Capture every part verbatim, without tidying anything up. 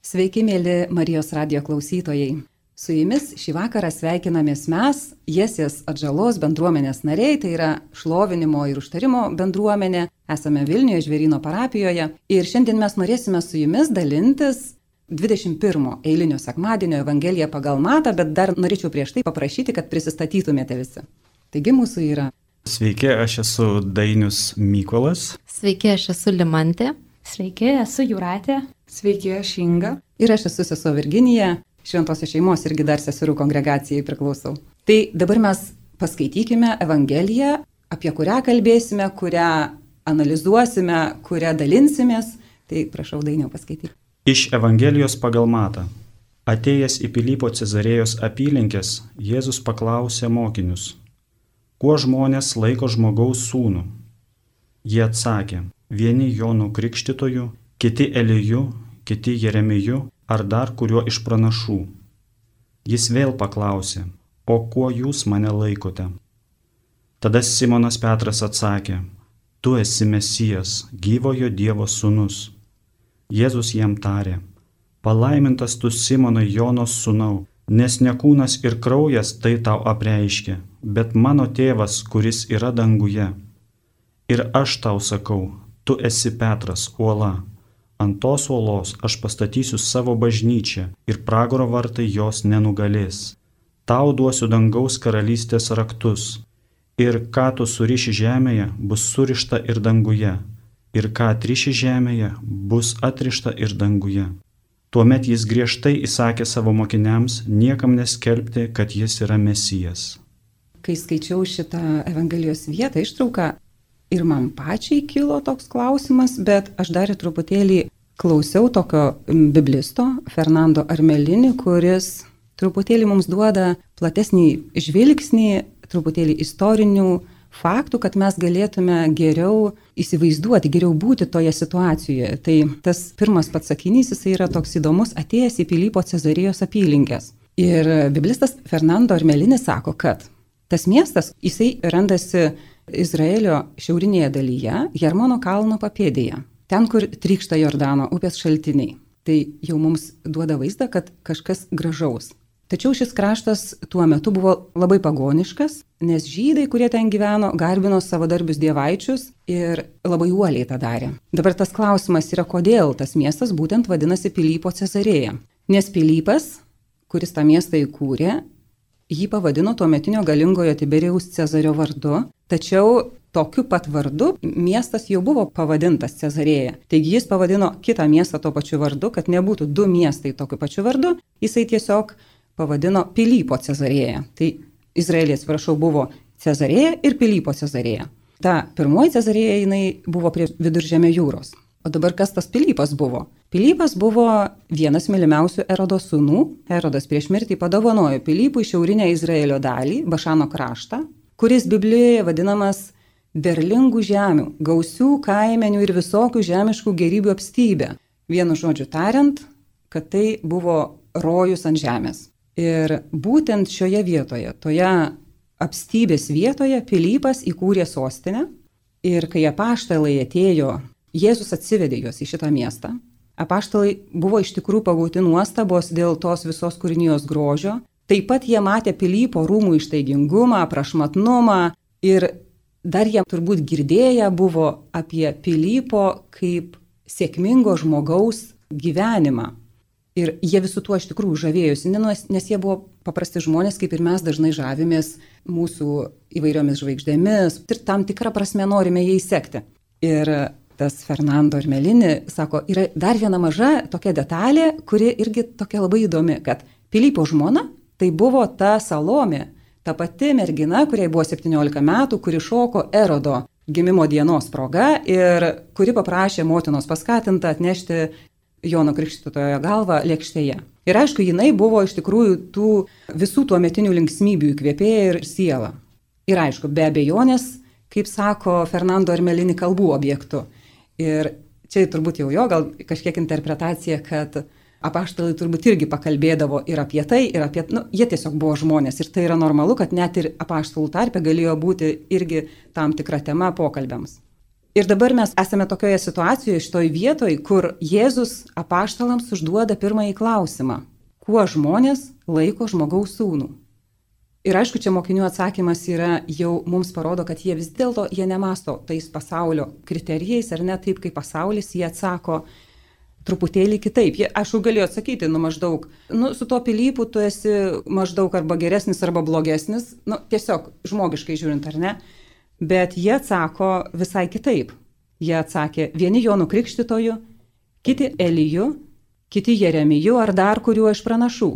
Sveiki, mėly Marijos radijo klausytojai. Su jumis šį vakarą sveikinamės mes, Jesės atžalos bendruomenės nariai, tai yra šlovinimo ir užtarimo bendruomenė. Esame Vilniuje, Žvėryno parapijoje. Ir šiandien mes norėsime su jumis dalintis dvidešimt pirmo eilinio sekmadienio Evangeliją pagal Matą, bet dar norėčiau prieš tai paprašyti, kad prisistatytumėte visi. Taigi mūsų yra. Sveiki, aš esu Dainius Mykolas. Sveiki, aš esu Limantė. Sveiki, esu Jūratė. Sveiki, aš Inga. Ir aš esu sesuo Virginija, Šventosios šeimos irgi dar seserų kongregacijai priklausau. Tai dabar mes paskaitykime Evangeliją, apie kurią kalbėsime, kurią analizuosime, kurią dalinsimės. Tai prašau, Dainiau, paskaityti. Iš Evangelijos pagal Matą. Atėjęs į Pilypo Cezarėjos apylinkės, Jėzus paklausė mokinius: kuo žmonės laiko žmogaus sūnų? Jie atsakė: vieni Jonu Krikštytoju, kiti Eliju, kiti Jeremiju ar dar kuriuo iš pranašų. Jis vėl paklausė: o kuo jūs mane laikote? Tada Simonas Petras atsakė: tu esi Mesijas, gyvojo Dievo sūnus. Jėzus jam tarė: palaimintas tu Simonai Jonos sūnau, nes ne kūnas ir kraujas tai tau apreiškė, bet mano tėvas, kuris yra danguje. Ir aš tau sakau, tu esi Petras, uola. Ant tos uolos aš pastatysiu savo bažnyčią ir pragaro vartai jos nenugalės. Tau duosiu dangaus karalystės raktus. Ir ką tu suriši žemėje, bus surišta ir danguje. Ir ką atriši žemėje, bus atrišta ir danguje. Tuomet jis griežtai įsakė savo mokiniams niekam neskelbti, kad jis yra Mesijas. Kai skaičiau šitą Evangelijos vietą, ištrauką, ir man pačiai kilo toks klausimas, bet aš dar truputėlį klausiau tokio biblisto Fernando Armelini, kuris truputėlį mums duoda platesnį žvilgsnį, truputėlį istorinių faktų, kad mes galėtume geriau įsivaizduoti, geriau būti toje situacijoje. Tai tas pirmas pats sakinys, jis yra toks įdomus: atėjęs į Pilypo Cezarėjos apylinkės. Ir biblistas Fernando Armelini sako, kad tas miestas, jisai randasi Izraelio šiaurinėje dalyje, Hermono kalno papėdėje, ten, kur trykšta Jordano upės šaltiniai. Tai jau mums duoda vaizdą, kad kažkas gražaus. Tačiau šis kraštas tuo metu buvo labai pagoniškas, nes žydai, kurie ten gyveno, garbino savadarbius dievaičius ir labai uoliai tą darė. Dabar tas klausimas yra, kodėl tas miestas būtent vadinasi Pilypo Cezarėja. Nes Pilypas, kuris tą miestą įkūrė, jį pavadino tuometinio galingojo Tiberijaus Cezario vardu, tačiau tokiu pat vardu miestas jau buvo pavadintas Cezarėja. Taigi jis pavadino kitą miestą tuo pačiu vardu, kad nebūtų du miestai tokiu pačiu vardu, jisai tiesiog pavadino Pilypo Cezarėja. Tai Izraelija, atsiprašau, buvo Cezarėja ir Pilypo Cezarėja. Ta pirmoji Cezarėja, jinai buvo prie Viduržemio jūros. O dabar kas tas Pilypas buvo? Pilypas buvo vienas mylimiausių Erodo sūnų. Erodas prieš mirtį padovanojo Pilypui šiaurinę Izraelio dalį, Bašano kraštą, kuris Biblijoje vadinamas derlingų žemių, gausių kaimenių ir visokių žemiškų gėrybių apstybė. Vienu žodžiu tariant, kad tai buvo rojus ant žemės. Ir būtent šioje vietoje, toje apstybės vietoje, Pilypas įkūrė sostinę. Ir kai apaštalai atėjo, Jėzus atsivedė juos į šitą miestą. Apaštalai buvo iš tikrųjų pagauti nuostabos dėl tos visos kūrinijos grožio. Taip pat jie matė Pilypo rūmų ištaigingumą, prašmatnumą ir dar jie turbūt girdėję buvo apie Pilypo kaip sėkmingo žmogaus gyvenimą. Ir jie visų tuo iš tikrųjų žavėjosi, nes jie buvo paprasti žmonės, kaip ir mes dažnai žavimės mūsų įvairiomis žvaigždėmis ir tam tikrą prasme norime jais sekti. Ir tas Fernando Armelini sako, yra dar viena maža tokia detalė, kuri irgi tokia labai įdomi, kad Pilypo žmona tai buvo ta Salomė, ta pati mergina, kuriai buvo septyniolika metų, kuri šoko Erodo gimimo dienos proga ir kuri paprašė motinos paskatinta atnešti Jono Krikštytojo galvą lėkštėje. Ir aišku, jinai buvo iš tikrųjų tų visų tuometinių linksmybių įkvėpėja ir siela. Ir aišku, be abejonės, kaip sako Fernando Armelini, kalbų objektu. Ir čia turbūt jau jo gal kažkiek interpretacija, kad apaštalai turbūt irgi pakalbėdavo ir apie tai, ir apie, nu, jie tiesiog buvo žmonės. Ir tai yra normalu, kad net ir apaštalų tarpe galėjo būti irgi tam tikra tema pokalbiams. Ir dabar mes esame tokioje situacijoje, šitoj vietoj, kur Jėzus apaštalams užduoda pirmąjį klausimą. Kuo žmonės laiko žmogaus sūnų? Ir aišku, čia mokinių atsakymas yra, jau mums parodo, kad jie vis dėlto, jie nemasto tais pasaulio kriterijais, ar ne taip kaip pasaulis, jie atsako truputėlį kitaip. Jie, aišku, galėjo atsakyti, nu maždaug, nu su tuo Pilypu tu esi maždaug arba geresnis, arba blogesnis, nu tiesiog žmogiškai žiūrint, ar ne? Bet jie atsako visai kitaip. Jie atsakė, vieni Jonu Krikštytoju, kiti Eliju, kiti Jeremiju ar dar kuriuo iš pranašų.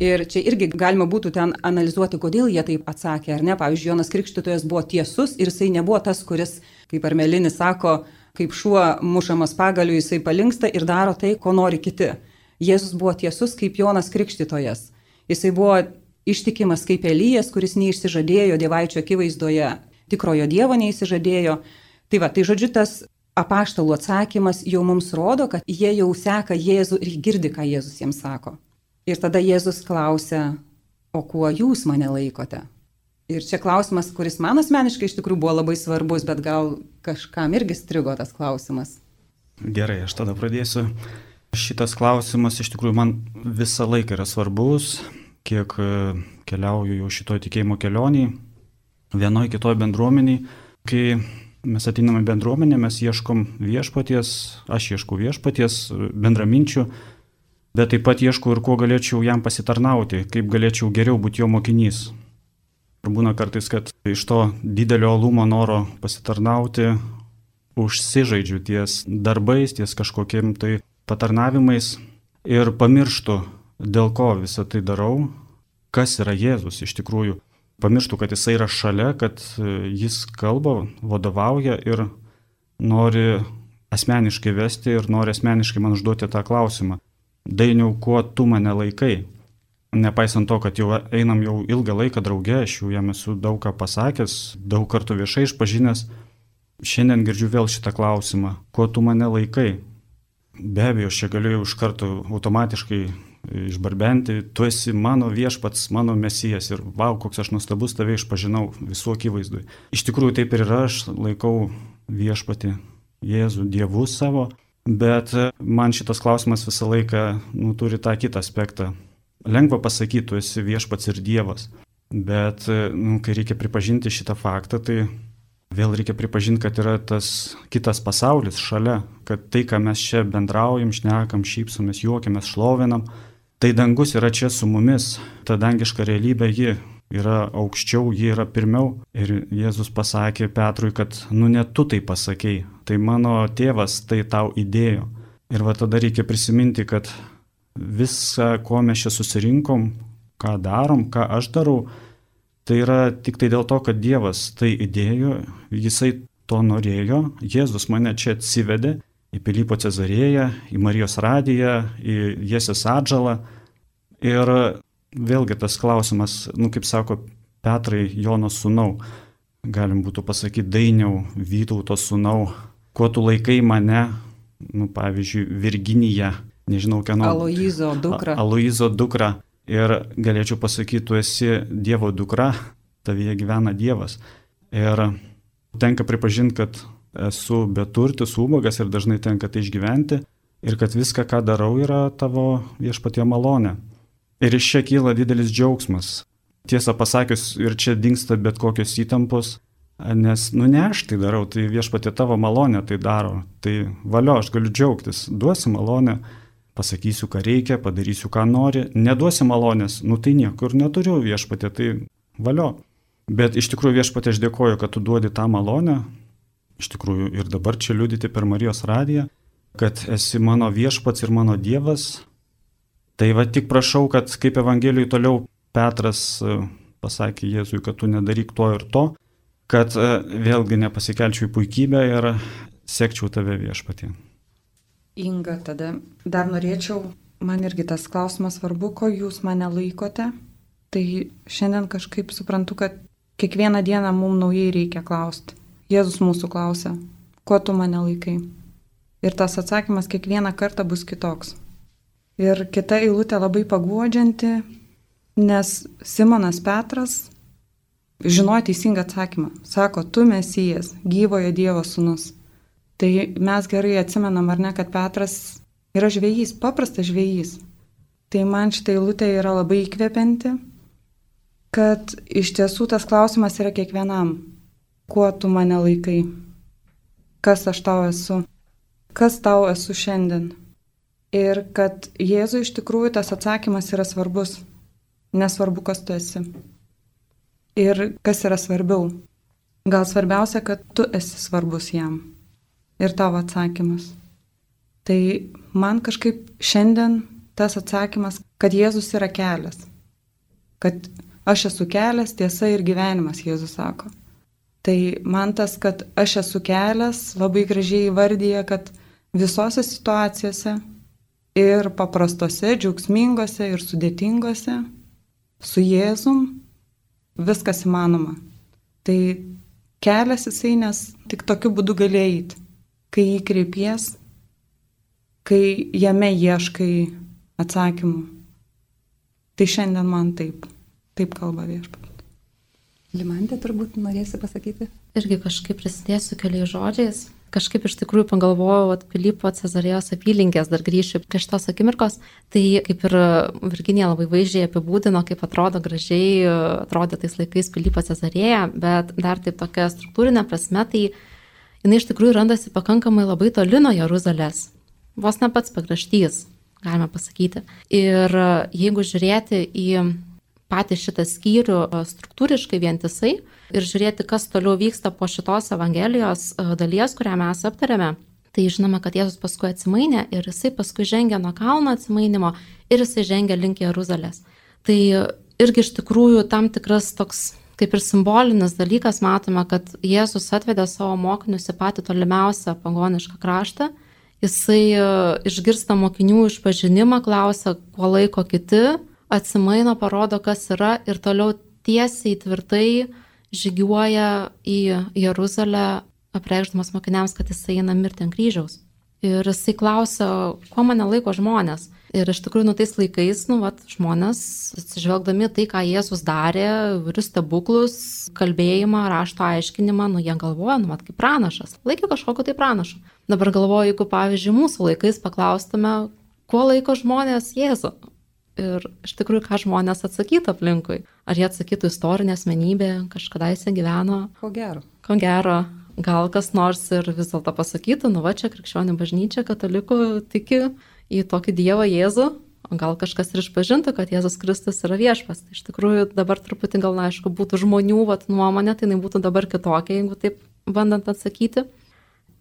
Ir čia irgi galima būtų ten analizuoti, kodėl jie taip atsakė, ar ne? Pavyzdžiui, Jonas Krikštytojas buvo tiesus ir jisai nebuvo tas, kuris, kaip Armelinis sako, kaip šuo mušamas pagaliu, jisai palinksta ir daro tai, ko nori kiti. Jėzus buvo tiesus kaip Jonas Krikštytojas. Jisai buvo ištikimas kaip Elijas, kuris neišsižadėjo dievaičio akivaizdoje, tikrojo dievo neišsižadėjo. Tai va, tai žodžiu, tas apaštalų atsakymas jau mums rodo, kad jie jau seka Jėzų ir girdi, ką Jėzus jiems sako. Ir tada Jėzus klausia, o kuo jūs mane laikote? Ir čia klausimas, kuris man asmeniškai iš tikrųjų buvo labai svarbus, bet gal kažkam irgi strigo tas klausimas. Gerai, aš tada pradėsiu. Šitas klausimas iš tikrųjų man visą laiką yra svarbus, kiek keliauju jau šitoj tikėjimo kelionėje, vienoj kitoj bendruomeniai. Kai mes ateiname bendruomenę, mes ieškom viešpaties, aš ieškau viešpaties, bendraminčių, bet taip pat ieškau ir kuo galėčiau jam pasitarnauti, kaip galėčiau geriau būti jo mokinys. Ir būna kartais, kad iš to didelio uolumo noro pasitarnauti užsižaidžiu ties darbais, ties kažkokiem tai patarnavimais ir pamirštu, dėl ko visą tai darau, kas yra Jėzus iš tikrųjų. Pamirštu, kad jisai yra šalia, kad jis kalba, vadovauja ir nori asmeniškai vesti ir nori asmeniškai man užduoti tą klausimą. Dainiau, kuo tu mane laikai? Nepaisant to, kad jau einam jau ilgą laiką drauge, aš jau jam esu daug ką pasakęs, daug kartų viešai išpažinęs, šiandien girdžiu vėl šitą klausimą, kuo tu mane laikai? Be abejo, aš čia galiu iš karto automatiškai išbarbenti, tu esi mano viešpats, mano mesijas ir vau, koks aš nuostabus tave išpažinau visų akivaizdui. Iš tikrųjų taip ir yra, aš laikau viešpatį Jėzų Dievu savo. Bet man šitas klausimas visą laiką nu, turi tą kitą aspektą. Lengva pasakyti, tu esi viešpats ir Dievas, bet nu, kai reikia pripažinti šitą faktą, tai vėl reikia pripažinti, kad yra tas kitas pasaulis šalia, kad tai, ką mes čia bendraujam, šnekam, šypsomės, juokiamės, šlovinam, tai dangus yra čia su mumis, ta dangiška realybė ji yra aukščiau, ji yra pirmiau. Ir Jėzus pasakė Petrui, kad nu ne tu tai pasakei, tai mano tėvas tai tau įdėjo. Ir va tada reikia prisiminti, kad visą, ko mes čia susirinkom, ką darom, ką aš darau, tai yra tik tai dėl to, kad Dievas tai įdėjo, jisai to norėjo, Jėzus mane čia atsivedė į Pilypo Cezarėją, į Marijos radiją, į Jesės atžalą. Ir vėlgi tas klausimas, nu kaip sako Petrai, Jono sūnau, galim būtų pasakyti Dainiau, Vytauto sūnau, kuo tu laikai mane, nu pavyzdžiui, Virginija, nežinau kieno. Aloizo dukra. Aloizo dukra. Ir galėčiau pasakyti, tu esi Dievo dukra, tavyje gyvena Dievas. Ir tenka pripažinti, kad esu beturtis, ubagas ir dažnai tenka tai išgyventi. Ir kad viską, ką darau, yra tavo viešpatie malonė. Ir iš čia kyla didelis džiaugsmas. Tiesą pasakius, ir čia dingsta bet kokios įtampos, nes, nu ne aš tai darau, tai viešpatie tavo malonė tai daro. Tai valio, aš galiu džiaugtis, duosi malonę, pasakysiu, ką reikia, padarysiu, ką nori, neduosi malonės, nu tai niekur neturiu viešpatie, tai valio. Bet iš tikrųjų viešpatie aš dėkoju, kad tu duodi tą malonę, iš tikrųjų ir dabar čia liudyti per Marijos radiją, kad esi mano viešpats ir mano Dievas. Tai va tik prašau, kad kaip Evangelijui toliau Petras pasakė Jėzui, kad tu nedaryk to ir to, kad vėlgi nepasikelčiau į puikybę ir sekčiau tave viešpatie. Inga, tada dar norėčiau, man irgi tas klausimas svarbu, ko jūs mane laikote. Tai šiandien kažkaip suprantu, kad kiekvieną dieną mums naujai reikia klausti. Jėzus mūsų klausia, ko tu mane laikai? Ir tas atsakymas kiekvieną kartą bus kitoks. Ir kita eilutė labai paguodžianti, nes Simonas Petras žinojo teisingą atsakymą. Sako, tu Mesijas, gyvojo Dievo sūnus. Tai mes gerai atsimenam, ar ne, kad Petras yra žvejys, paprastas žvejys. Tai man šitą eilutę yra labai įkvepianti, kad iš tiesų tas klausimas yra kiekvienam. Kuo tu mane laikai? Kas aš tau esu? Kas tau esu šiandien? Ir kad Jėzui iš tikrųjų tas atsakymas yra svarbus. Nesvarbu, kas tu esi. Ir kas yra svarbiau. Gal svarbiausia, kad tu esi svarbus jam. Ir tavo atsakymas. Tai man kažkaip šiandien tas atsakymas, kad Jėzus yra kelias. Kad aš esu kelias, tiesa ir gyvenimas, Jėzus sako. Tai man tas, kad aš esu kelias, labai gražiai įvardyja, kad visose situacijose ir paprastose, džiaugsmingose ir sudėtingose su Jėzum viskas įmanoma. Tai kelias jisai, nes tik tokiu būdu gali eiti, kai jį kreipies, kai jame ieškai atsakymų. Tai šiandien man taip, taip kalba Viešpats. Limantė, turbūt norėsi pasakyti? Irgi kažkaip prisidėsiu keliais žodžiais. Kažkaip iš tikrųjų pagalvojau, kad Pilypo Cezarėjos apylinkės, dar grįšiu prie šitos akimirkos, tai kaip ir Virginija labai vaizdžiai apibūdino, kaip atrodo gražiai, atrodė tais laikais Pilypo Cezarėja, bet dar taip tokia struktūrinė prasme, tai jinai iš tikrųjų randasi pakankamai labai toli nuo Jeruzalės. Vos ne pats pakraštys, galime pasakyti. Ir jeigu žiūrėti į patį šitą skyrių struktūriškai vientisai ir žiūrėti, kas toliau vyksta po šitos Evangelijos dalies, kurią mes aptarėme, tai žinoma, kad Jėzus paskui atsimainė ir jisai paskui žengia nuo kalno atsimainimo ir jisai žengia link Jeruzalės. Tai irgi iš tikrųjų tam tikras toks kaip ir simbolinis dalykas, matome, kad Jėzus atvedė savo mokinius į patį tolimiausią pagonišką kraštą. Jisai išgirsta mokinių išpažinimą, klausia, kuo laiko kiti, atsimaino, parodo, kas yra ir toliau tiesiai tvirtai žygiuoja į Jeruzalę, apreikšdamas mokiniams, kad jisai eina mirti ant kryžiaus. Ir jisai klausia, kuo mane laiko žmonės. Ir iš tikrųjų, nu tais laikais, nu, vat, žmonės, atsižvelgdami tai, ką Jėzus darė, įvairius stebuklus, kalbėjimą, rašto aiškinimą, nu, jie galvoja, nu, vat, kaip pranašas. Laikė kažkokio tai pranašo. Dabar galvoju, jeigu, pavyzdžiui, mūsų laikais paklaustume, kuo laiko žmonės Jėzų. Ir iš tikrųjų, ką žmonės atsakytų aplinkui. Ar jie atsakytų istorinė asmenybė, kažkadaise gyveno? Ko gero. Ko gero. Gal kas nors ir vis dėlto pasakytų, nu va čia krikščionių bažnyčia, katalikų tiki į tokį Dievą Jėzų, o gal kažkas ir išpažintų, kad Jėzus Kristus yra viešpats. Tai iš tikrųjų dabar truputį gal, na, aišku, būtų žmonių vat, nuomonė, tai jinai būtų dabar kitokia, jeigu taip bandant atsakyti.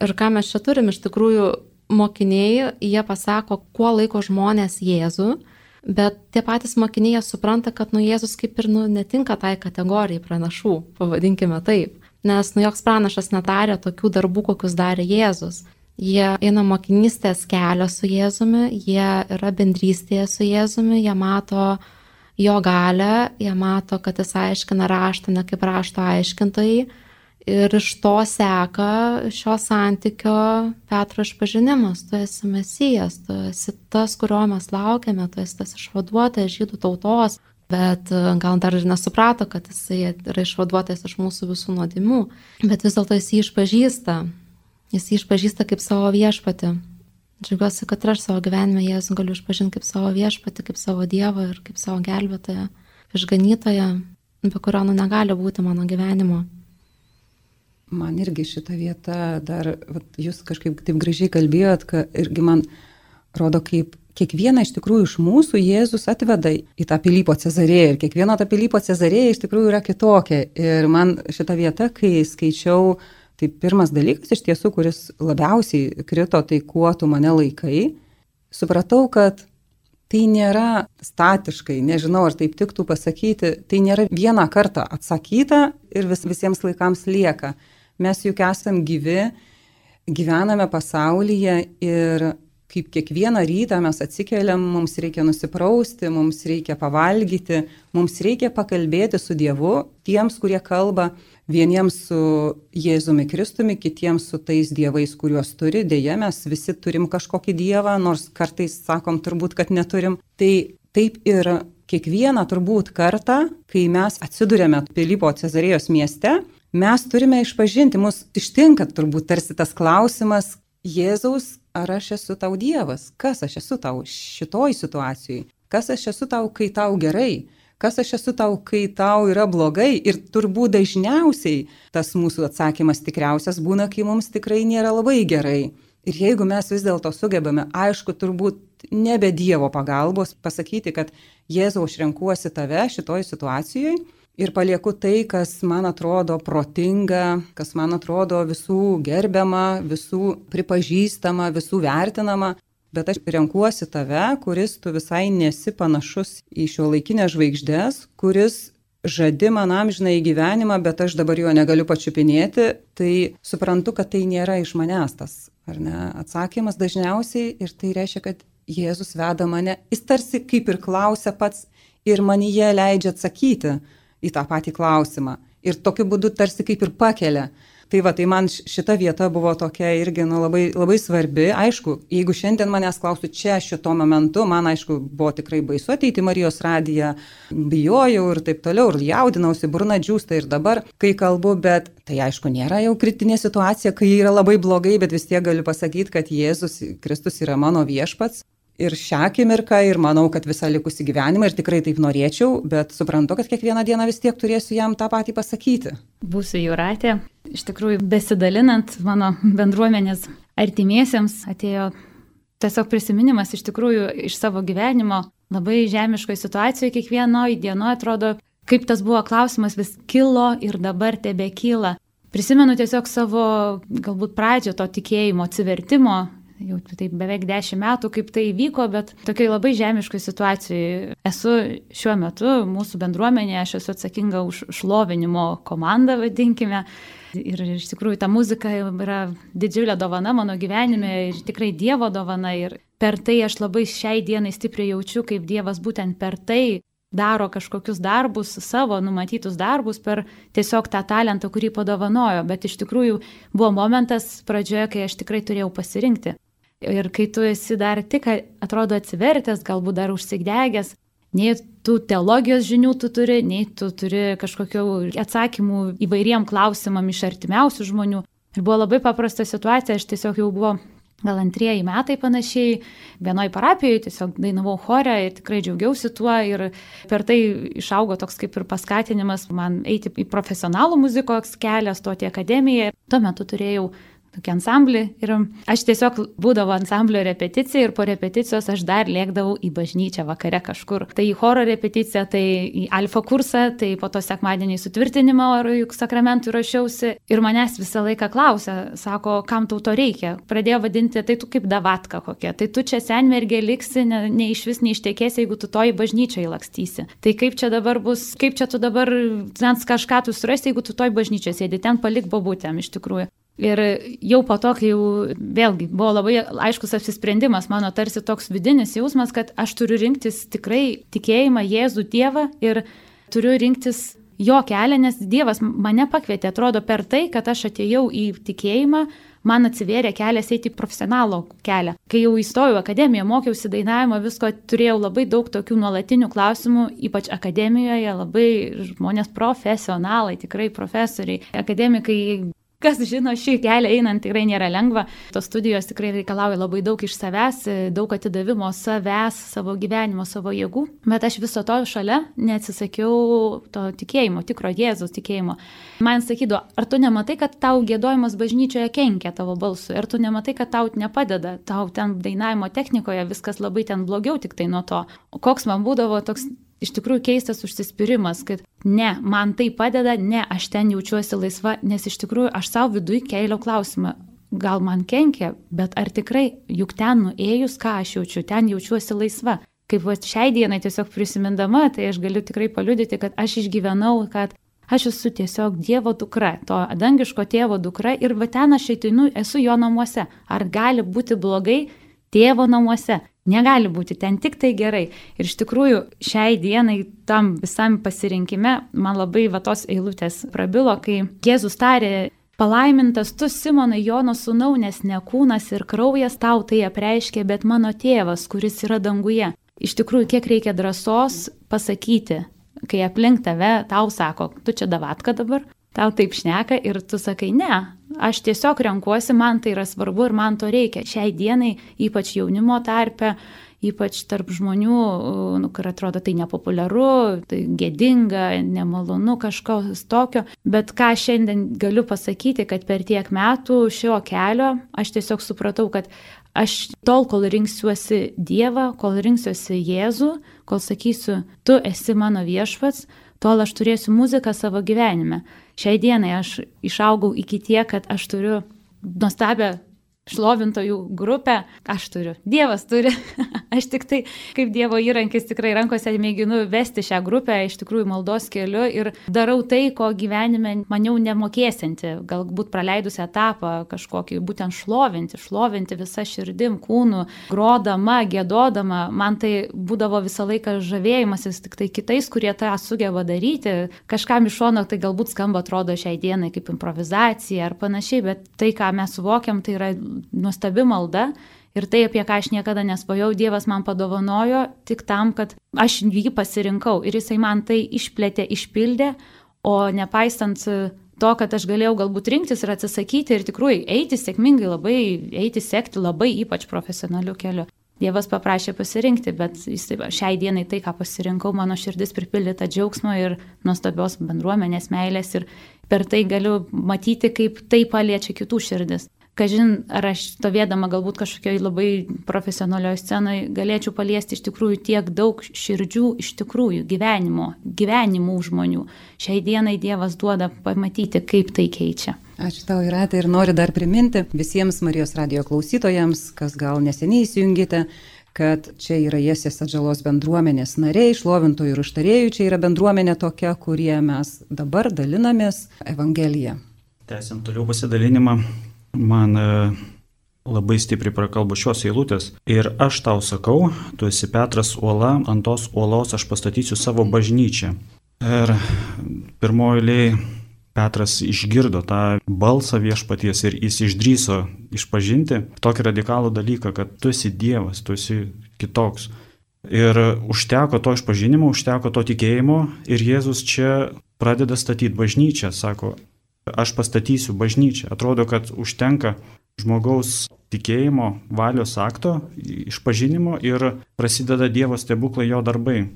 Ir ką mes čia turim, iš tikrųjų mokiniai, jie pasako, kuo laiko žmonės Jėzų, bet tie patys mokiniai supranta, kad nu Jėzus kaip ir nu, netinka tai kategorijai pranašų, pavadinkime taip. Nes nu joks pranašas nedarė tokių darbų, kokius darė Jėzus. Jie eina mokinystės kelio su Jėzumi, jie yra bendrystėje su Jėzumi, jie mato jo galią, jie mato, kad jis aiškina raštą, ne kaip rašto aiškintojai. Ir iš to seka šio santykio Petro išpažinimas. Tu esi Mesijas, tu esi tas, kurio mes laukiame, tu esi tas išvaduotojas žydų tautos. Bet gal dar ir nesuprato, kad jisai yra išvaduotas iš mūsų visų nuodėmių. Bet vis dėlto jis jį išpažįsta. Jis jį išpažįsta kaip savo viešpatį. Džiaugiuosi, kad aš savo gyvenime Jėzų galiu išpažinti kaip savo viešpatį, kaip savo Dievą ir kaip savo gelbėtoją, išganytoją, be kurio nu negali būti mano gyvenimo. Man irgi šita vieta dar, vat, jūs kažkaip taip gražiai kalbėjot, kad irgi man rodo, kaip kiekvieną iš tikrųjų iš mūsų Jėzus atveda į tą Pilypo Cezarėją ir kiekviena ta Pilypo Cezarėja iš tikrųjų yra kitokia. Ir man šita vieta, kai skaičiau, tai pirmas dalykas iš tiesų, kuris labiausiai krito, tai kuo tu mane laikai, supratau, kad tai nėra statiškai, nežinau, ar taip tiktų pasakyti, tai nėra vieną kartą atsakyta ir vis, visiems laikams lieka. Mes juk esam gyvi, gyvename pasaulyje ir kaip kiekvieną rytą mes atsikeliam, mums reikia nusiprausti, mums reikia pavalgyti, mums reikia pakalbėti su Dievu, tiems, kurie kalba, vieniems su Jėzumi Kristumi, kitiems su tais dievais, kuriuos turi. Deja, mes visi turim kažkokį dievą, nors kartais sakom turbūt, kad neturim. Tai taip ir kiekvieną turbūt kartą, kai mes atsidurėme Pilypo Cezarėjos mieste, mes turime išpažinti, mus ištinka turbūt tarsi tas klausimas, Jėzaus, ar aš esu tau Dievas? Kas aš esu tau šitoj situacijai? Kas aš esu tau, kai tau gerai? Kas aš esu tau, kai tau yra blogai? Ir turbūt dažniausiai tas mūsų atsakymas tikriausias būna, kai mums tikrai nėra labai gerai. Ir jeigu mes vis dėlto sugebame, aišku, turbūt nebe Dievo pagalbos pasakyti, kad Jėzau, aš renkuosi tave šitoj situacijoje ir palieku tai, kas man atrodo protinga, kas man atrodo visų gerbiama, visų pripažįstama, visų vertinama, bet aš renkuosi tave, kuris tu visai nesi panašus į šiuolaikinės žvaigždės, kuris žadi man amžiną į gyvenimą, bet aš dabar jo negaliu pačiupinėti, tai suprantu, kad tai nėra iš manęs tas, ar ne, atsakymas dažniausiai ir tai reiškia, kad Jėzus veda mane, jis tarsi kaip ir klausia pats ir manyje leidžia atsakyti į tą patį klausimą ir tokiu būdu tarsi kaip ir pakelia. Tai va, tai man šita vieta buvo tokia irgi nu, labai, labai svarbi. Aišku, jeigu šiandien manęs klaustų čia šito momentu, man aišku buvo tikrai baisu ateiti į Marijos radiją, bijojau ir taip toliau, ir jaudinausi, burna džiūsta ir dabar, kai kalbu, bet tai aišku nėra jau kritinė situacija, kai yra labai blogai, bet vis tiek galiu pasakyti, kad Jėzus Kristus yra mano viešpats. Ir šią akimirką, ir manau, kad visą likusį gyvenimą, ir tikrai taip norėčiau, bet suprantu, kad kiekvieną dieną vis tiek turėsiu jam tą patį pasakyti. Būsiu Jūratė. Iš tikrųjų, besidalinant mano bendruomenės artimiesiems, atėjo tiesiog prisiminimas iš tikrųjų iš savo gyvenimo. Labai žemiškoje situacijoje kiekvienoje dienoje atrodo, kaip tas buvo klausimas, vis kilo ir dabar tebe kyla. Prisimenu tiesiog savo galbūt pradžią to tikėjimo, atsivertimo. Jau taip beveik dešimt metų, kaip tai įvyko, bet tokiai labai žemiškai situacijai. Esu šiuo metu mūsų bendruomenėje, aš esu atsakinga už šlovinimo komandą, vadinkime. Ir iš tikrųjų ta muzika yra didžiulė dovana mano gyvenime ir tikrai Dievo dovana. Ir per tai aš labai šiai dienai stipriai jaučiu, kaip Dievas būtent per tai daro kažkokius darbus, savo numatytus darbus per tiesiog tą talentą, kurį padovanojo. Bet iš tikrųjų buvo momentas pradžioje, kai aš tikrai turėjau pasirinkti. Ir kai tu esi dar tik, atrodo, atsivertęs, galbūt dar užsigdegęs, nei tų teologijos žinių tu turi, nei tu turi kažkokių atsakymų įvairiem klausimam iš artimiausių žmonių. Ir buvo labai paprasta situacija, aš tiesiog jau buvo gal antrieji metai panašiai, vienoj parapijoje tiesiog dainavau chore ir tikrai džiaugiausi tuo ir per tai išaugo toks kaip ir paskatinimas man eiti į profesionalų muzikos kelią, stoti į akademiją. Tuo metu turėjau tokį ansamblį ir aš tiesiog būdavo ansamblio repeticija ir po repeticijos aš dar lėkdavau į bažnyčią vakare kažkur. Tai į choro repeticiją, tai į alfa kursą, tai po to sekmadienį sutvirtinimo ar juk sakramentų rašiausi ir manęs visą laiką klausė, sako, kam tau to reikia. Pradėjo vadinti, tai tu kaip davatka kokia, tai tu čia senmergė liksi, ne, ne iš vis neištekėsi, jeigu tu to į bažnyčią įlakstysi. Tai kaip čia dabar bus, kaip čia tu dabar ten kažką tu surasti, jeigu tu to į bažnyčią sėdi, ten palik bobutėm iš tikrųjų. Ir jau po to, kai jau vėlgi buvo labai aiškus apsisprendimas, mano tarsi toks vidinis jausmas, kad aš turiu rinktis tikrai tikėjimą Jėzų Dievą ir turiu rinktis jo kelią, nes Dievas mane pakvietė, atrodo, per tai, kad aš atėjau į tikėjimą, man atsivėrė kelias eiti į profesionalo kelią. Kai jau įstojau į akademiją, mokiausi dainavimo, visko, turėjau labai daug tokių nuolatinių klausimų, ypač akademijoje, labai žmonės profesionalai, tikrai profesoriai, akademikai. Kas žino, šį kelią einant tikrai nėra lengva. Tos studijos tikrai reikalauja labai daug iš savęs, daug atidavimo savęs, savo gyvenimo, savo jėgų. Bet aš viso to šalia neatsisakiau to tikėjimo, tikro Jėzaus tikėjimo. Man sakydavo, ar tu nematai, kad tau giedojimas bažnyčioje kenkia tavo balsui, ar tu nematai, kad tau nepadeda, tau ten dainavimo technikoje viskas labai ten blogiau tik tai nuo to. O koks man būdavo toks iš tikrųjų keistas užsispyrimas, kad ne, man tai padeda, ne, aš ten jaučiuosi laisva, nes iš tikrųjų aš savo viduje kėliau klausimą, gal man kenkia, bet ar tikrai, juk ten nuėjus, ką aš jaučiu, ten jaučiuosi laisva. Kaip va, šiai dienai tiesiog prisimindama, tai aš galiu tikrai paliudyti, kad aš išgyvenau, kad aš esu tiesiog Dievo dukra, to dangiško tėvo dukra ir va ten aš ateinu, esu jo namuose. Ar gali būti blogai tėvo namuose? Negali būti, ten tik tai gerai. Ir iš tikrųjų šiai dienai tam visam pasirinkime man labai va tos eilutės prabilo, kai Jėzus tarė, palaimintas tu, Simonai, Jono sūnau, nes ne kūnas ir kraujas tau tai apreiškė, bet mano tėvas, kuris yra danguje. Iš tikrųjų, kiek reikia drąsos pasakyti, kai aplink tave tau sako, tu čia davatka dabar, tau taip šneka ir tu sakai, ne, aš tiesiog renkuosi, man tai yra svarbu ir man to reikia. Šiai dienai, ypač jaunimo tarpe, ypač tarp žmonių, nu, kur atrodo tai nepopuliaru, tai gėdinga, nemalonu kažkas tokio. Bet ką šiandien galiu pasakyti, kad per tiek metų šio kelio aš tiesiog supratau, kad aš tol, kol rinksiuosi Dievą, kol rinksiuosi Jėzų, kol sakysiu, tu esi mano viešpats, tol aš turėsiu muziką savo gyvenime. Šiai dienai aš išaugau iki tiek, kad aš turiu nuostabią šlovintojų grupę, aš turiu, Dievas turi, aš tik tai kaip Dievo įrankis tikrai rankose mėginu vesti šią grupę, iš tikrųjų maldos keliu ir darau tai, ko gyvenime maniau nemokėsinti, galbūt praleidusi etapą kažkokį, būtent šlovinti, šlovinti visą širdim, kūnų, grodama, gėdodama, man tai būdavo visą laiką žavėjimasis tik tai kitais, kurie tą sugeba daryti, kažkam iš šono tai galbūt skamba atrodo šiai dienai kaip improvizacija ar panašiai, bet tai, ką mes suvokiam, tai yra nuostabi malda ir tai, apie ką aš niekada nesvajau, Dievas man padovanojo tik tam, kad aš jį pasirinkau ir jisai man tai išplėtė, išpildė, o nepaisant to, kad aš galėjau galbūt rinktis ir atsisakyti ir tikrųjų eiti sėkmingai, labai eiti, sekti labai ypač profesionaliu keliu. Dievas paprašė pasirinkti, bet jis taip, šiai dienai tai, ką pasirinkau, mano širdis pripildyta džiaugsmo ir nuostabios bendruomenės meilės ir per tai galiu matyti, kaip tai paliečia kitų širdis. Kažin, ar aš stovėdama galbūt kažkokioj labai profesionalioje scenoje galėčiau paliesti iš tikrųjų tiek daug širdžių, iš tikrųjų gyvenimo, gyvenimų žmonių. Šiai dienai Dievas duoda pamatyti, kaip tai keičia. Ačiū tau, Jūrate, ir noriu dar priminti visiems Marijos radijo klausytojams, kas gal neseniai įsijungite, kad čia yra Jesės atžalos bendruomenės nariai, šlovintojų ir užtarėjų, čia yra bendruomenė tokia, kurie mes dabar dalinamės Evangeliją. Tęsiant toliau pasidalinimą. Man labai stipriai prakalbo šios eilutės. Ir aš tau sakau, tu esi Petras uola, ant tos uolos aš pastatysiu savo bažnyčią. Ir pirmoji eilėje Petras išgirdo tą balsą viešpaties ir jis išdryso išpažinti tokį radikalų dalyką, kad tu esi Dievas, tu esi kitoks. Ir užteko to išpažinimo, užteko to tikėjimo ir Jėzus čia pradeda statyti bažnyčią, sako, aš pastatysiu bažnyčią. Atrodo, kad užtenka žmogaus tikėjimo, valios akto, išpažinimo ir prasideda Dievo stebuklai, jo darbai.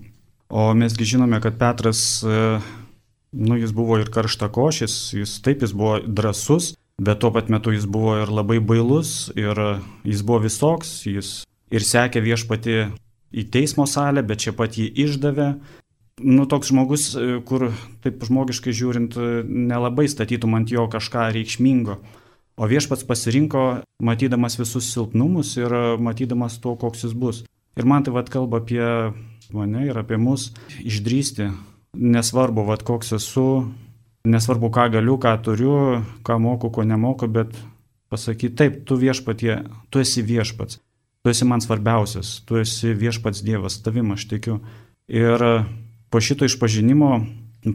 O mesgi žinome, kad Petras, nu, jis buvo ir karštakošis, jis taip, jis buvo drąsus, bet tuo pat metu jis buvo ir labai bailus, ir jis buvo visoks, jis ir sekė viešpatį į teismo salę, bet čia pat jį išdavė. Nu, toks žmogus, kur, taip žmogiškai žiūrint, nelabai statytum ant jo kažką reikšmingo. O viešpats pasirinko, matydamas visus silpnumus ir matydamas to, koks jis bus. Ir man tai vat kalba apie mane ir apie mus išdrįsti. Nesvarbu, vat koks esu, nesvarbu, ką galiu, ką turiu, ką moku, ko nemoku, bet pasakyti, taip, tu viešpatie, tu esi viešpats. Tu esi man svarbiausias, tu esi viešpats Dievas, tavim aš tikiu. Ir po šito išpažinimo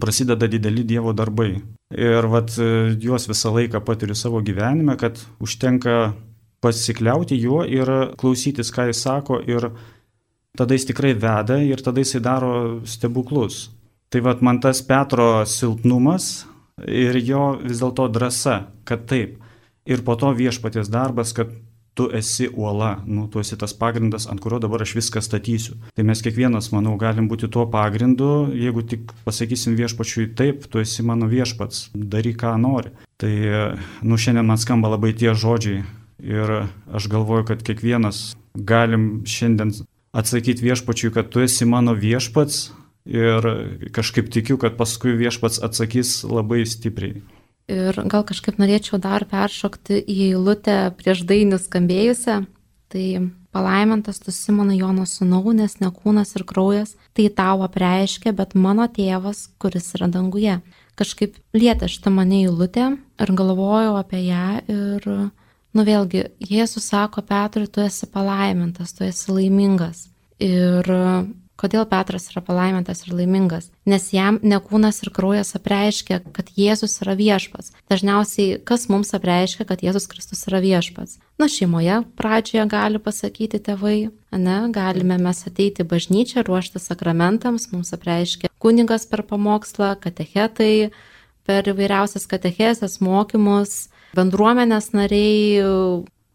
prasideda dideli Dievo darbai. Ir vat juos visą laiką patiriu savo gyvenime, kad užtenka pasikliauti juo ir klausytis, ką jis sako, ir tada jis tikrai veda ir tada jis daro stebuklus. Tai vat man tas Petro silpnumas ir jo vis dėlto drąsa, kad taip. Ir po to viešpaties darbas, kad tu esi uola, nu, tu esi tas pagrindas, ant kurio dabar aš viską statysiu. Tai mes kiekvienas, manau, galim būti tuo pagrindu, jeigu tik pasakysim viešpačiui taip, tu esi mano viešpats, daryk ką nori. Tai, nu, šiandien man skamba labai tie žodžiai ir aš galvoju, kad kiekvienas galim šiandien atsakyti viešpačiui, kad tu esi mano viešpats ir kažkaip tikiu, kad paskui viešpats atsakys labai stipriai. Ir gal kažkaip norėčiau dar peršokti į eilutę prieš dainį skambėjusią. Tai palaimintas tu Simonai Jono sūnau, nes ne kūnas ir kraujas tai tau apreiškia, bet mano tėvas, kuris yra danguje. Kažkaip lietė šitą mane eilutę ir galvojau apie ją ir, nu vėlgi, Jėzus sako Petrui, tu esi palaimintas, tu esi laimingas. Ir kodėl Petras yra palaimintas ir laimingas? Nes jam ne kūnas ir kraujas apreiškia, kad Jėzus yra viešpats. Dažniausiai, kas mums apreiškia, kad Jėzus Kristus yra viešpats? Na, šeimoje pradžioje gali pasakyti tėvai, ne, galime mes ateiti į bažnyčią, ruošti sakramentams, mums apreiškia kunigas per pamokslą, katechetai, per įvairiausias katechezes, mokymus, bendruomenės nariai,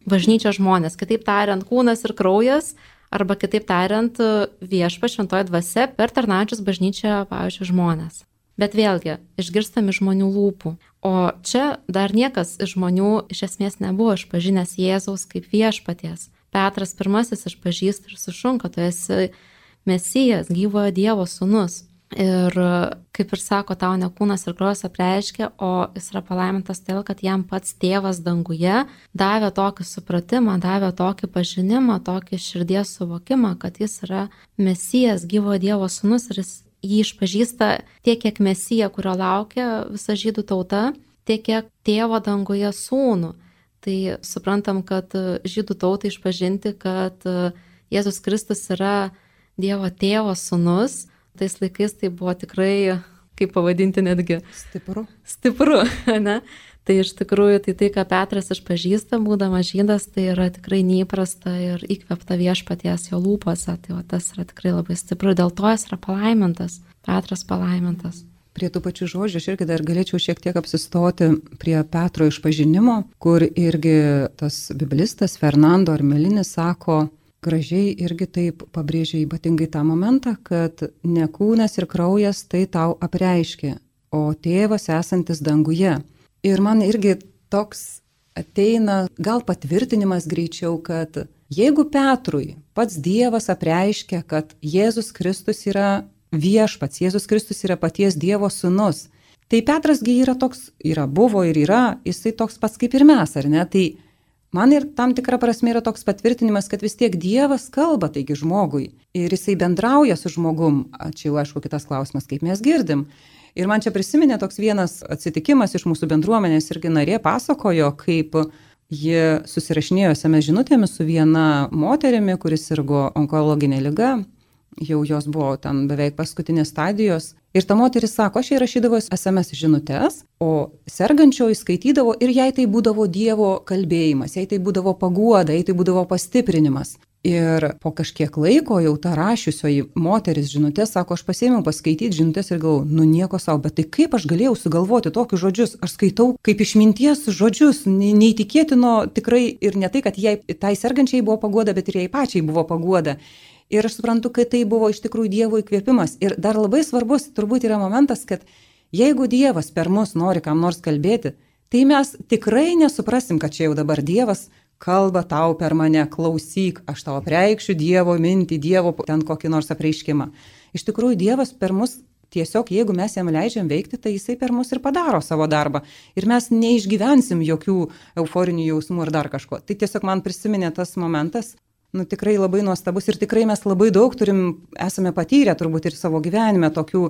bažnyčios žmonės. Kitaip tariant, kūnas ir kraujas, arba kitaip tariant, Viešpats šventoji dvasia per tarnaujančius bažnyčią, pavyzdžiui, žmonės. Bet vėlgi, išgirstami žmonių lūpų. O čia dar niekas iš žmonių iš esmės nebuvo išpažinęs Jėzaus kaip viešpaties. Petras pirmasis išpažįsta ir sušunka, tu esi Mesijas, gyvojo Dievo sūnus. Ir kaip ir sako, tau ne kūnas ir kraujas apreiškė, o jis yra palaimintas todėl, kad jam pats tėvas danguje davė tokį supratimą, davė tokį pažinimą, tokį širdies suvokimą, kad jis yra Mesijas, gyvojo Dievo sūnus ir jis jį išpažįsta tiek, kiek Mesija, kurio laukia visa žydų tauta, tiek, kiek tėvo danguje sūnų. Tai suprantam, kad žydų tautai išpažinti, kad Jėzus Kristus yra Dievo tėvo sūnus, tais laikais tai buvo tikrai, kaip pavadinti netgi, Stipru. Stipru, ne? Tai iš tikrųjų, tai tai, ką Petras išpažįsta, būdamas žydas, tai yra tikrai neįprasta ir įkvėpta Viešpaties jo lūpose. Tai va, tas yra tikrai labai stipru, dėl to jis yra palaimintas, Petras palaimintas. Prie tų pačių žodžių aš irgi dar galėčiau šiek tiek apsistoti prie Petro išpažinimo, kur irgi tas biblistas Fernando Armelinis sako, gražiai irgi taip pabrėžia ypatingai tą momentą, kad ne kūnas ir kraujas tai tau apreiškė, o tėvas esantis danguje. Ir man irgi toks ateina gal patvirtinimas greičiau, kad jeigu Petrui pats Dievas apreiškia, kad Jėzus Kristus yra viešpats, Jėzus Kristus yra paties Dievo sūnus, tai Petrasgi yra toks, yra buvo ir yra, jisai toks pats kaip ir mes, ar ne? Tai man ir tam tikra prasme yra toks patvirtinimas, kad vis tiek Dievas kalba taigi žmogui ir jisai bendrauja su žmogum. Čia jau aišku kitas klausimas, kaip mes girdim. Ir man čia prisiminė toks vienas atsitikimas iš mūsų bendruomenės, irgi narė pasakojo, kaip ji susirašinėjo es em es žinutėmis su viena moterimi, kuris sirgo onkologinė liga. Jau jos buvo ten beveik paskutinės stadijos. Ir ta moteris sako, aš jai rašydavo es em es žinutes, o sergančioji skaitydavo ir jai tai būdavo Dievo kalbėjimas, jai tai būdavo paguoda, jai tai būdavo pastiprinimas. Ir po kažkiek laiko jau ta rašiusioji moteris žinutės sako, aš pasėmiau paskaityti žinutės ir galvoju, nu nieko savo, bet tai kaip aš galėjau sugalvoti tokius žodžius, aš skaitau kaip išminties žodžius, neįtikėtino tikrai ir ne tai, kad jai tai sergančiai buvo paguoda, bet ir jai pačiai buvo paguoda. Ir aš suprantu, kad tai buvo iš tikrųjų Dievo įkvėpimas. Ir dar labai svarbus turbūt yra momentas, kad jeigu Dievas per mus nori kam nors kalbėti, tai mes tikrai nesuprasim, kad čia jau dabar Dievas kalba tau per mane, klausyk, aš tau apreikšiu Dievo mintį, Dievo ten kokį nors apreiškimą. Iš tikrųjų Dievas per mus tiesiog, jeigu mes jam leidžiam veikti, tai jisai per mus ir padaro savo darbą. Ir mes neišgyvensim jokių euforinių jausmų ar dar kažko. Tai tiesiog man prisiminė tas momentas. Nu, tikrai labai nuostabus ir tikrai mes labai daug turim, esame patyrę turbūt ir savo gyvenime tokių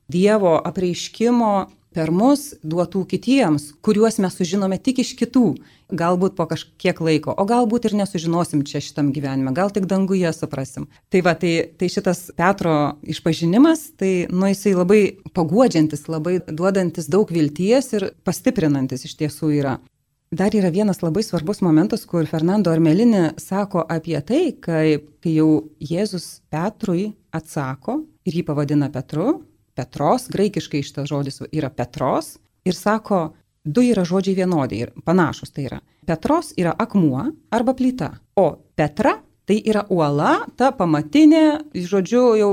Dievo apreiškimo per mus duotų kitiems, kuriuos mes sužinome tik iš kitų, galbūt po kažkiek laiko, o galbūt ir nesužinosim čia šitam gyvenime, gal tik danguje suprasim. Tai va, tai, tai šitas Petro išpažinimas, tai nu, jisai labai paguodžiantis, labai duodantis daug vilties ir pastiprinantis iš tiesų yra. Dar yra vienas labai svarbus momentas, kur Fernando Armelini sako apie tai, kai, kai jau Jėzus Petrui atsako ir jį pavadina Petru, Petros, graikiškai šitas žodis yra Petros, ir sako, du yra žodžiai vienodi ir panašus tai yra. Petros yra akmuo arba plyta, o Petra tai yra uola, ta pamatinė, žodžiu, jau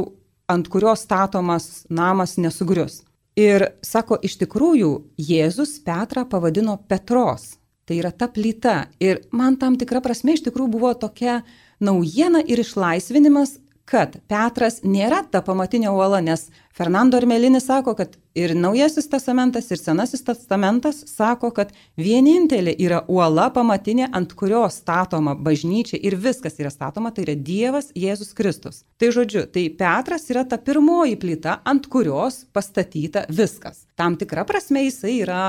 ant kurios statomas namas nesugrius. Ir sako, iš tikrųjų, Jėzus Petrą pavadino Petros. Tai yra ta plyta. Ir man tam tikra prasme iš tikrųjų buvo tokia naujiena ir išlaisvinimas, kad Petras nėra ta pamatinė uola, nes Fernando Armelinis sako, kad ir Naujasis testamentas, ir Senasis testamentas sako, kad vienintelė yra uola pamatinė, ant kurios statoma bažnyčia ir viskas yra statoma, tai yra Dievas Jėzus Kristus. Tai žodžiu, tai Petras yra ta pirmoji plyta, ant kurios pastatyta viskas. Tam tikra prasme jisai yra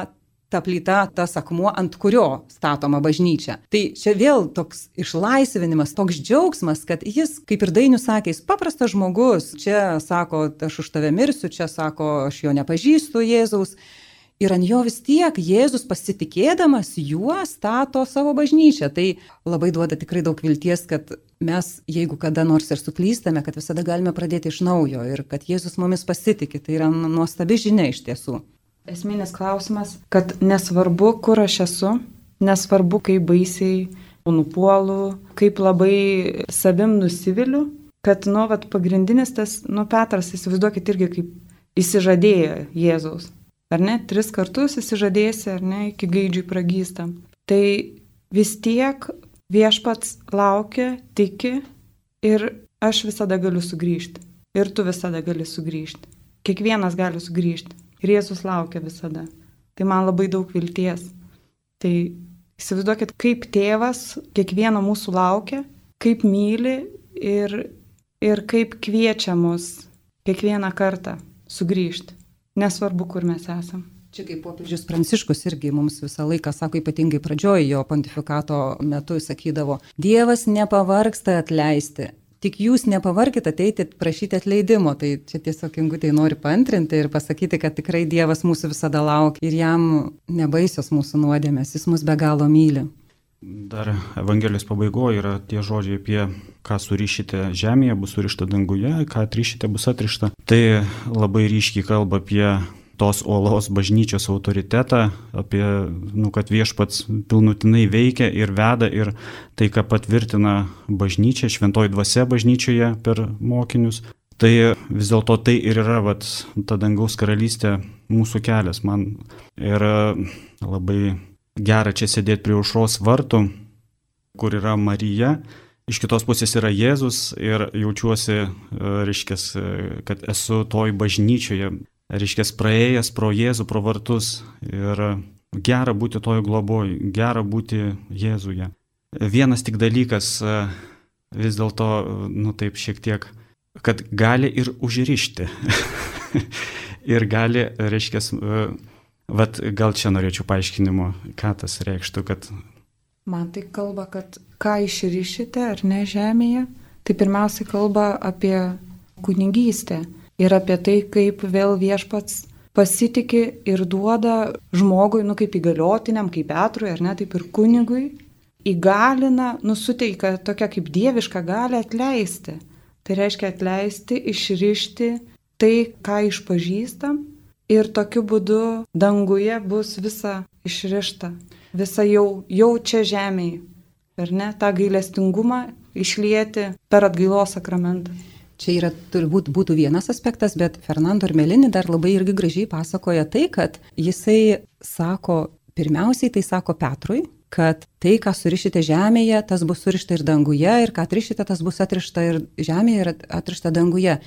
ta plyta, tas akmuo, ant kurio statoma bažnyčia. Tai čia vėl toks išlaisvinimas, toks džiaugsmas, kad jis, kaip ir Dainius sakė, jis paprastas žmogus, čia sako, aš už tave mirsiu, čia sako, aš jo nepažįstu Jėzaus. Ir ant jo vis tiek Jėzus pasitikėdamas juo stato savo bažnyčią. Tai labai duoda tikrai daug vilties, kad mes, jeigu kada nors ir suklystame, kad visada galime pradėti iš naujo ir kad Jėzus mumis pasitikė. Tai yra nuostabi žinia iš tiesų. esminis klausimas, kad nesvarbu, kur aš esu, nesvarbu, kaip baisiai nupuolu, kaip labai savim nusiviliu, kad, nu, vat, pagrindinis tas, nu, Petras, įsivaizduokit irgi kaip įsižadėjo Jėzaus. Ar ne? Tris kartus įsižadėsi, ar ne, iki gaidžiui pragysta. Tai vis tiek viešpats laukia, tiki ir aš visada galiu sugrįžti. Ir tu visada gali sugrįžti. Kiekvienas gali sugrįžti. Ir Jėzus laukia visada. Tai man labai daug vilties. Tai įsivaizduokit, kaip tėvas kiekvieno mūsų laukia, kaip myli ir, ir kaip kviečia mus kiekvieną kartą sugrįžti. Nesvarbu, kur mes esam. Čia kaip popiežius Pranciškus irgi mums visą laiką sako, ypatingai pradžioje jo pontifikato metu sakydavo, Dievas nepavargsta atleisti, tik jūs nepavarkit ateiti prašyti atleidimo. Tai čia tiesiog Ingutė nori paantrinti ir pasakyti, kad tikrai Dievas mūsų visada laukia ir jam nebaisios mūsų nuodėmės, jis mus be galo myli. Dar Evangelijos pabaigoje yra tie žodžiai apie ką surišite žemėje, bus surišta danguje, ką atrišite, bus atrišta. Tai labai ryškiai kalba apie tos uolos bažnyčios autoritetą, apie, nu, kad viešpats pilnutinai veikia ir veda ir tai, ką patvirtina bažnyčia, šventoji dvasia bažnyčioje per mokinius. Tai vis dėlto tai ir yra, vat, ta dangaus karalystė mūsų kelias. Man yra labai gera čia sėdėti prie aušros vartų, kur yra Marija, iš kitos pusės yra Jėzus ir jaučiuosi, reiškia, kad esu toj bažnyčioje, reiškia, praėjęs pro Jėzų, pro vartus ir gera būti toj globoj, gera būti Jėzuje. Vienas tik dalykas vis dėlto, nu taip šiek tiek, kad gali ir užrišti ir gali, reiškia, vat, gal čia norėčiau paaiškinimo, ką tas reikštų, kad... Man tai kalba, kad ką išrišite ar ne žemėje, tai pirmiausiai kalba apie kunigystę ir apie tai, kaip vėl viešpats pasitiki ir duoda žmogui, nu kaip įgaliotiniam, kaip Petrui, ar ne, taip ir kunigui, įgalina, nusuteikia tokia kaip dieviška gali atleisti. Tai reiškia atleisti, išrišti tai, ką išpažįstam. Ir tokiu būdu danguje bus visa išrišta, visa jau, jau čia žemėje, ar ne, tą gailestingumą išlieti per atgailos sakramentą. Čia yra turbūt būtų vienas aspektas, bet Fernando Armelini dar labai irgi gražiai pasakoja tai, kad jisai sako, pirmiausiai tai sako Petrui, kad tai, ką surišite žemėje, tas bus surišta ir danguje, ir ką atrišite, tas bus atrišta ir žemėje ir atrišta danguje.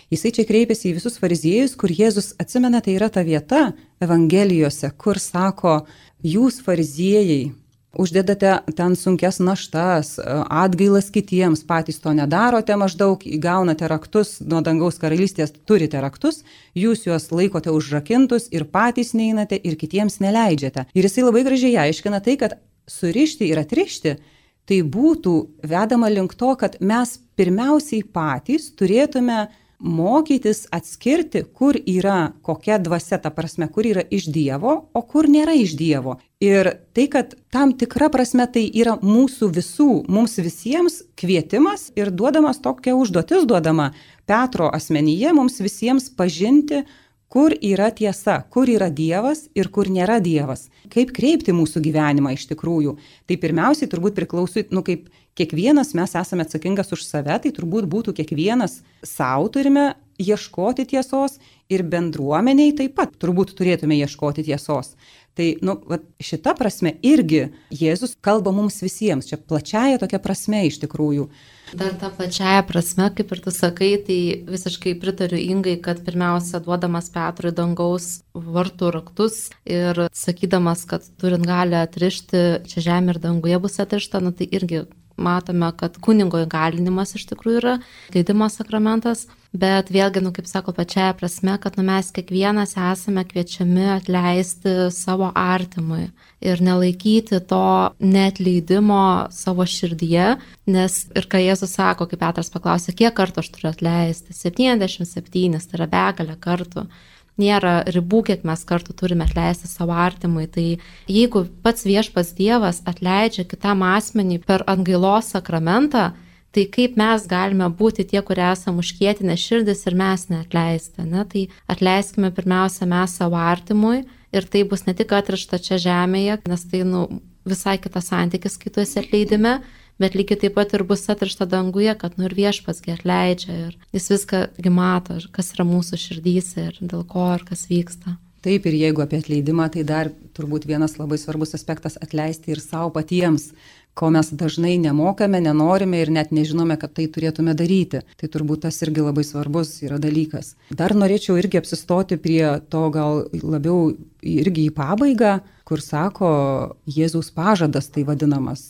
Jisai čia kreipiasi į visus fariziejus, kur Jėzus, atsimena, tai yra ta vieta Evangelijose, kur sako, jūs fariziejai uždedate ten sunkes naštas, atgailas kitiems, patys to nedarote, maždaug įgaunate raktus nuo dangaus karalystės, turite raktus, jūs juos laikote užrakintus ir patys neinate ir kitiems neleidžiate. Ir jisai labai gražiai aiškina tai, kad surišti ir atrišti, tai būtų vedama link to, kad mes pirmiausiai patys turėtume mokytis atskirti, kur yra kokia dvasia, ta prasme, kur yra iš Dievo, o kur nėra iš Dievo. Ir tai, kad tam tikra prasme tai yra mūsų visų, mums visiems kvietimas ir duodamas tokia užduotis duodama Petro asmenyje mums visiems pažinti, kur yra tiesa, kur yra Dievas ir kur nėra Dievas. Kaip kreipti mūsų gyvenimą iš tikrųjų. Tai pirmiausiai turbūt priklauso, nu kaip kiekvienas mes esame atsakingas už save, tai turbūt būtų kiekvienas savo turime ieškoti tiesos ir bendruomeniai taip pat turbūt turėtume ieškoti tiesos. Tai nu, va, šita prasme irgi Jėzus kalba mums visiems, čia plačiaja tokia prasme iš tikrųjų. Dar tą plačiaja prasme, kaip ir tu sakai, tai visiškai pritariu Ingai, kad pirmiausia duodamas Petrui dangaus vartų raktus ir sakydamas, kad turint gali atrišti čia žemė ir danguje bus atrišta, nu, tai irgi matome, kad kunigo įgalinimas iš tikrųjų yra atleidimo sakramentas, bet vėlgi, nu, kaip sako, pačiaja prasme, kad nu, mes kiekvienas esame kviečiami atleisti savo artimui ir nelaikyti to neatleidimo savo širdyje, nes ir ką Jėzus sako, kaip Petras paklausė, kiek kartų aš turiu atleisti, septyniasdešimt septyni, tai yra begalė kartų. Nėra ribų, kiek mes kartų turime atleisti savo artimui. Tai jeigu pats viešpats Dievas atleidžia kitam asmenį per atgailos sakramentą, Tai kaip mes galime būti tie, kurie esame užkietinę širdis ir mes neatleisti, ne? Tai atleiskime pirmiausia mes savo artimui ir tai bus ne tik atrišta čia žemėje, nes tai nu, visai kitas santykis, kai tu esi atleidime, bet lygiai taip pat ir bus atrišta danguje, kad nu ir viešpatsgi atleidžia ir jis viską mato, kas yra mūsų širdyse ir dėl ko ir kas vyksta. Taip, ir jeigu apie atleidimą, tai dar turbūt vienas labai svarbus aspektas atleisti ir savo patiems, ko mes dažnai nemokame, nenorime ir net nežinome, kad tai turėtume daryti. Tai turbūt tas irgi labai svarbus yra dalykas. Dar norėčiau irgi apsistoti prie to gal labiau irgi į pabaigą, kur sako Jėzaus pažadas tai vadinamas,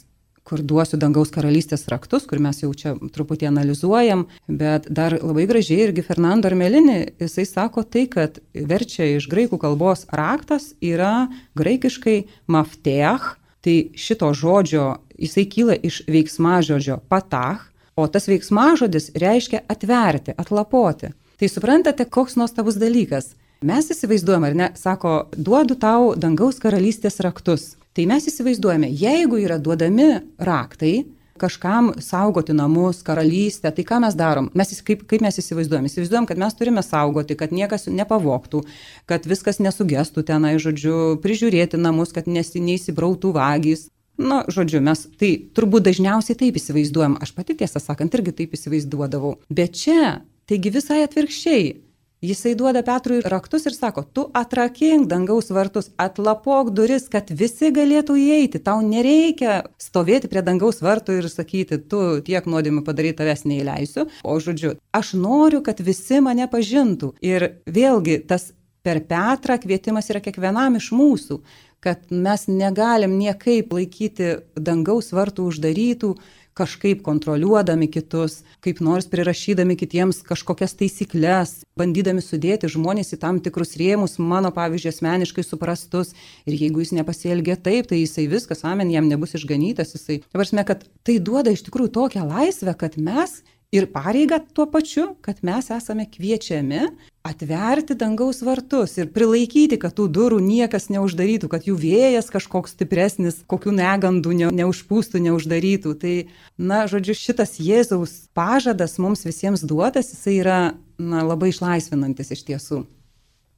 kur duosiu dangaus karalystės raktus, kur mes jau čia truputį analizuojam, bet dar labai gražiai irgi Fernando Armelini, jisai sako tai, kad verčia iš graikų kalbos raktas yra graikiškai mafteach, tai šito žodžio, jisai kyla iš veiksmažodžio patach, o tas veiksmažodis reiškia atverti, atlapoti. Tai suprantate, koks nuostabus dalykas. Mes įsivaizduojame, ar ne, sako, duodu tau dangaus karalystės raktus. Tai mes įsivaizduojame, jeigu yra duodami raktai, kažkam saugoti namus, karalystę, tai ką mes darom? Mes, kaip, kaip mes įsivaizduojam? Įsivaizduojam, kad mes turime saugoti, kad niekas nepavogtų, kad viskas nesugestų tenai, žodžiu, prižiūrėti namus, kad nesi, neįsibrautų vagys. Na, žodžiu, mes tai turbūt dažniausiai taip įsivaizduojam. Aš pati tiesą sakant irgi taip įsivaizduodavau. Bet čia, taigi visai atvirkščiai. Jisai duoda Petrui raktus ir sako, tu atrakink dangaus vartus, atlapok duris, kad visi galėtų įeiti. Tau nereikia stovėti prie dangaus vartų ir sakyti, tu tiek nuodėmių padaryti, tavęs neįleisiu. O žodžiu, aš noriu, kad visi mane pažintų. Ir vėlgi tas per Petrą kvietimas yra kiekvienam iš mūsų, kad mes negalim niekaip laikyti dangaus vartų uždarytų, kažkaip kontroliuodami kitus, kaip nors prirašydami kitiems kažkokias taisyklės, bandydami sudėti žmonės į tam tikrus rėmus, mano pavyzdžiui asmeniškai suprastus. Ir jeigu jis nepasielgia taip, tai jisai viskas, amen, jam nebus išganytas. Jisai, ta prasme, kad tai duoda iš tikrųjų tokią laisvę, kad mes ir pareigą tuo pačiu, kad mes esame kviečiami atverti dangaus vartus ir prilaikyti, kad tų durų niekas neuždarytų, kad jų vėjas kažkoks stipresnis, kokių negandų ne, neužpūstų, neuždarytų. Tai, na, žodžiu, šitas Jėzaus pažadas mums visiems duotas, jisai yra, na, labai išlaisvinantis iš tiesų.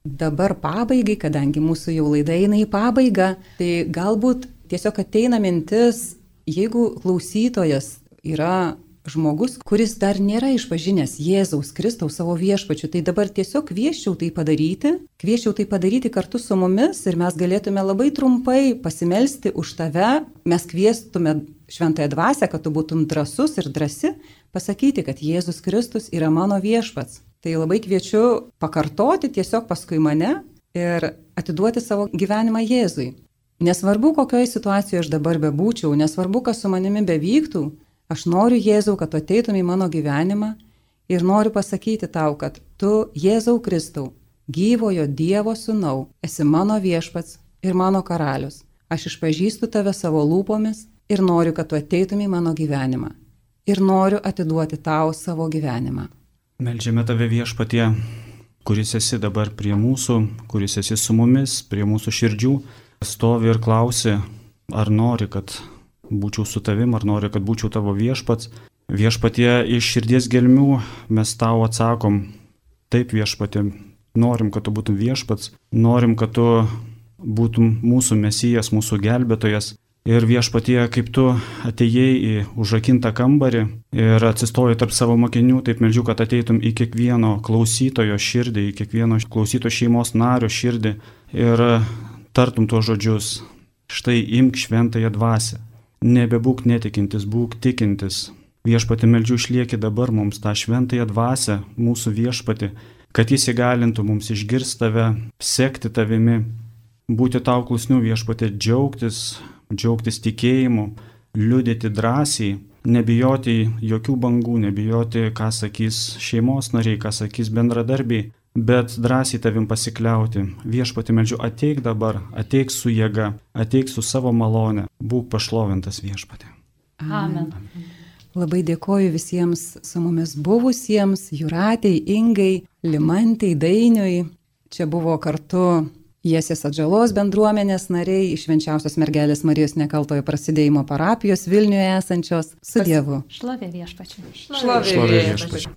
Dabar pabaigai, kadangi mūsų jau laida eina į pabaigą, tai galbūt tiesiog ateina mintis, jeigu klausytojas yra žmogus, kuris dar nėra išpažinęs Jėzaus Kristaus savo viešpačiu, tai dabar tiesiog kvieščiau tai padaryti, kvieščiau tai padaryti kartu su mumis ir mes galėtume labai trumpai pasimelsti už tave, mes kviestume šventąją dvasią, kad tu būtum drąsus ir drąsi, pasakyti, kad Jėzus Kristus yra mano viešpats. Tai labai kviečiu pakartoti tiesiog paskui mane ir atiduoti savo gyvenimą Jėzui. Nesvarbu, kokioje situacijoje aš dabar bebūčiau, nesvarbu, kas su manimi bevyktų, aš noriu, Jėzau, kad tu ateitum į mano gyvenimą ir noriu pasakyti tau, kad tu, Jėzau Kristau, gyvojo Dievo sūnau, esi mano viešpats ir mano karalius. Aš išpažįstu tave savo lūpomis ir noriu, kad tu ateitum į mano gyvenimą. Ir noriu atiduoti tau savo gyvenimą. Meldžiame tave viešpatie, kuris esi dabar prie mūsų, kuris esi su mumis, prie mūsų širdžių, stovi ir klausi, ar nori, kad būčiau su tavim, ar nori, kad būčiau tavo viešpats. Viešpatie, iš širdies gelmių mes tau atsakom, taip viešpatie, norim, kad tu būtum viešpats, norim, kad tu būtum mūsų mesijas, mūsų gelbėtojas. Ir viešpatie, kaip tu atėjai į užrakintą kambarį ir atsistojai tarp savo mokinių, taip meldžiu, kad ateitum į kiekvieno klausytojo širdį, į kiekvieno klausytojo šeimos nario širdį ir tartum tuos žodžius, štai imk šventąją dvasią. Nebebūk netikintis, būk tikintis. Viešpati, meldžiu, išlieki dabar mums tą šventąją dvasią, mūsų viešpati, kad jis įgalintų mums išgirsti tave, sekti tavimi, būti tau klusnių viešpati, džiaugtis, džiaugtis tikėjimu, liudyti drąsiai, nebijoti jokių bangų, nebijoti, ką sakys šeimos nariai, ką sakys bendradarbiai, bet drąsiai tavim pasikliauti. Viešpati, meldžiu, ateik dabar, ateik su jėga, ateik su savo malone, būk pašlovintas viešpati. Amen. Amen. Labai dėkoju visiems su mumis buvusiems, Jūratei, Ingai, Limantei, Dainiui. Čia buvo kartu Jiesies Atžalos bendruomenės nariai iš Švenčiausios mergelės Marijos Nekaltojo prasidėjimo parapijos Vilniuje esančios. Su Dievu. Šlovė viešpačiui. Šlovė viešpačiui.